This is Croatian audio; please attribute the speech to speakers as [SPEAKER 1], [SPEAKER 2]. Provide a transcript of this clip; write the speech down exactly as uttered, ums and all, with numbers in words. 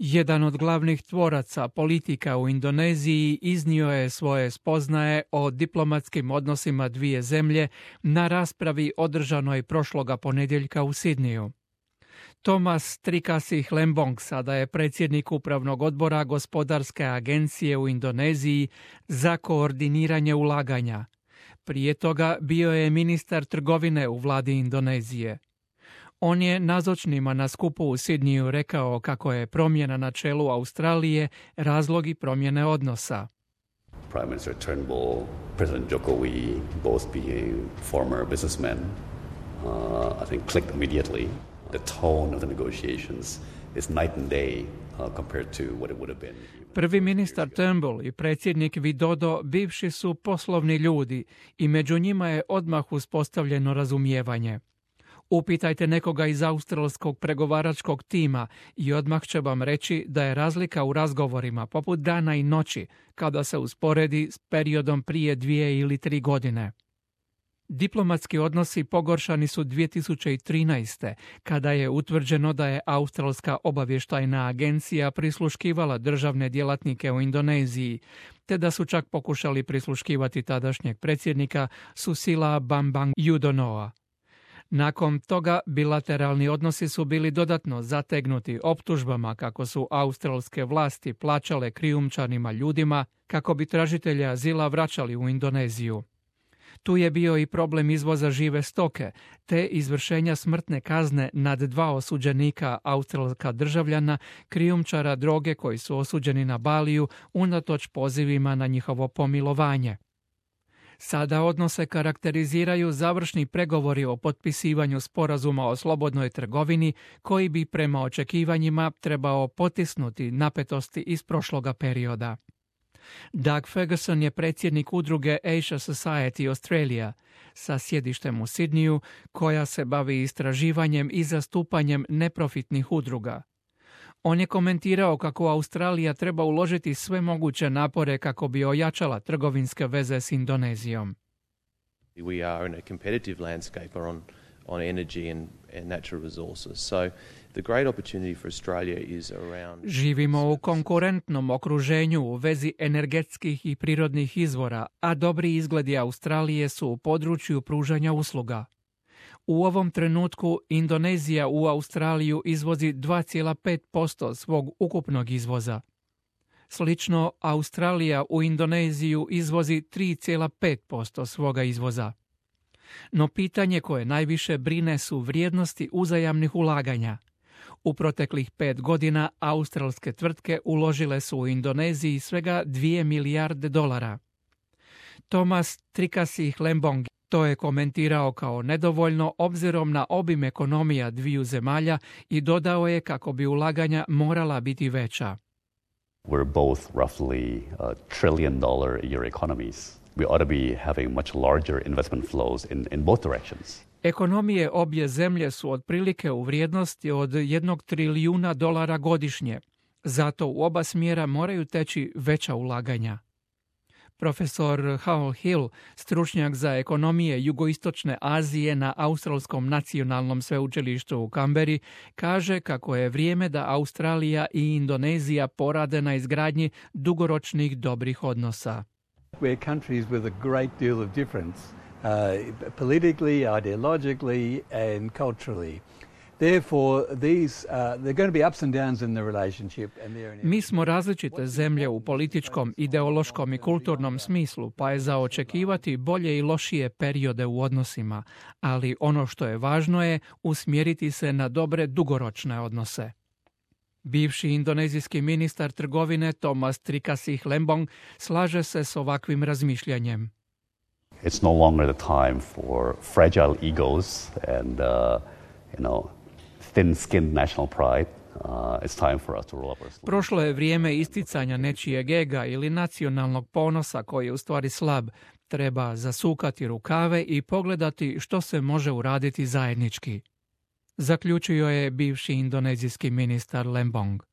[SPEAKER 1] Jedan od glavnih tvoraca politika u Indoneziji iznio je svoje spoznaje o diplomatskim odnosima dvije zemlje na raspravi održanoj prošloga ponedjeljka u Sidniju. Thomas Trikasih Lembong sada je predsjednik upravnog odbora Gospodarske agencije u Indoneziji za koordiniranje ulaganja. Prije toga bio je ministar trgovine u vladi Indonezije. On je nazočnima na skupu u Sidniju rekao kako je promjena na čelu Australije razlog i promjene odnosa.
[SPEAKER 2] Prime Minister Turnbull, President Jokowi, both being former businessmen, uh, I think clicked immediately. The tone of the negotiations is night and day uh, compared to what it would have been.
[SPEAKER 1] Prvi ministar Turnbull i predsjednik Widodo bivši su poslovni ljudi i među njima je odmah uspostavljeno razumijevanje. Upitajte nekoga iz australskog pregovaračkog tima i odmah će vam reći da je razlika u razgovorima poput dana i noći kada se usporedi s periodom prije dvije ili tri godine. Diplomatski odnosi pogoršani su dvije tisuće trinaeste. kada je utvrđeno da je Australska obavještajna agencija prisluškivala državne djelatnike u Indoneziji, te da su čak pokušali prisluškivati tadašnjeg predsjednika Susila Bambang Yudhoyonoa. Nakon toga bilateralni odnosi su bili dodatno zategnuti optužbama kako su australske vlasti plaćale krijumčanima ljudima kako bi tražitelje azila vraćali u Indoneziju. Tu je bio i problem izvoza žive stoke, te izvršenja smrtne kazne nad dva osuđenika australska državljana, krijumčara droge koji su osuđeni na Baliju unatoč pozivima na njihovo pomilovanje. Sada odnose karakteriziraju završni pregovori o potpisivanju sporazuma o slobodnoj trgovini koji bi prema očekivanjima trebao potisnuti napetosti iz prošloga perioda. Doug Ferguson je predsjednik udruge Asia Society Australia sa sjedištem u Sidniju koja se bavi istraživanjem i zastupanjem neprofitnih udruga. On je komentirao kako Australija treba uložiti sve moguće napore kako bi ojačala trgovinske veze s Indonezijom.
[SPEAKER 3] We are in a competitive landscape on on energy and, and natural resources. So the great opportunity for Australia is around...
[SPEAKER 1] Živimo u konkurentnom okruženju u vezi energetskih i prirodnih izvora, a dobri izgledi Australije su u području pružanja usluga. U ovom trenutku Indonezija u Australiju izvozi dva zarez pet posto svog ukupnog izvoza. Slično, Australija u Indoneziju izvozi tri zarez pet posto svoga izvoza. No pitanje koje najviše brine su vrijednosti uzajamnih ulaganja. U proteklih pet godina australske tvrtke uložile su u Indoneziji svega dvije milijarde dolara. Thomas Trikasih Lembong to je komentirao kao nedovoljno obzirom na obim ekonomija dviju zemalja i dodao je kako bi ulaganja morala biti veća.
[SPEAKER 2] We're both roughly uh, trillion dollar a year economies. We ought to be having much larger investment flows in, in both directions.
[SPEAKER 1] Ekonomije obje zemlje su otprilike u vrijednosti od jednog trilijuna dolara godišnje. Zato u oba smjera moraju teći veća ulaganja. Profesor Hal Hill, stručnjak za ekonomije jugoistočne Azije na Australskom nacionalnom sveučilištu u Kamberi, kaže kako je vrijeme da Australija i Indonezija porade na izgradnji dugoročnih dobrih odnosa.
[SPEAKER 4] We're countries with a great deal of difference, uh, politically, ideologically and culturally. Therefore, these, uh, they're going to be ups and downs in the relationship. And they're
[SPEAKER 1] Mi smo različite zemlje u političkom, ideološkom i kulturnom smislu, pa je za očekivati bolje i lošije periode u odnosima, ali ono što je važno je usmjeriti se na dobre dugoročne odnose. Bivši indonezijski ministar trgovine Thomas Trikasih Lembong slaže se s ovakvim razmišljanjem.
[SPEAKER 2] It's no longer the time for fragile egos and, uh, you know, thin-skinned national pride. Uh, it's time for us to roll up our sleeves.
[SPEAKER 1] Prošlo je vrijeme isticanja nečijeg ega ili nacionalnog ponosa koji je u stvari slab. Treba zasukati rukave i pogledati što se može uraditi zajednički. Zaključio je bivši indonezijski ministar Lembong.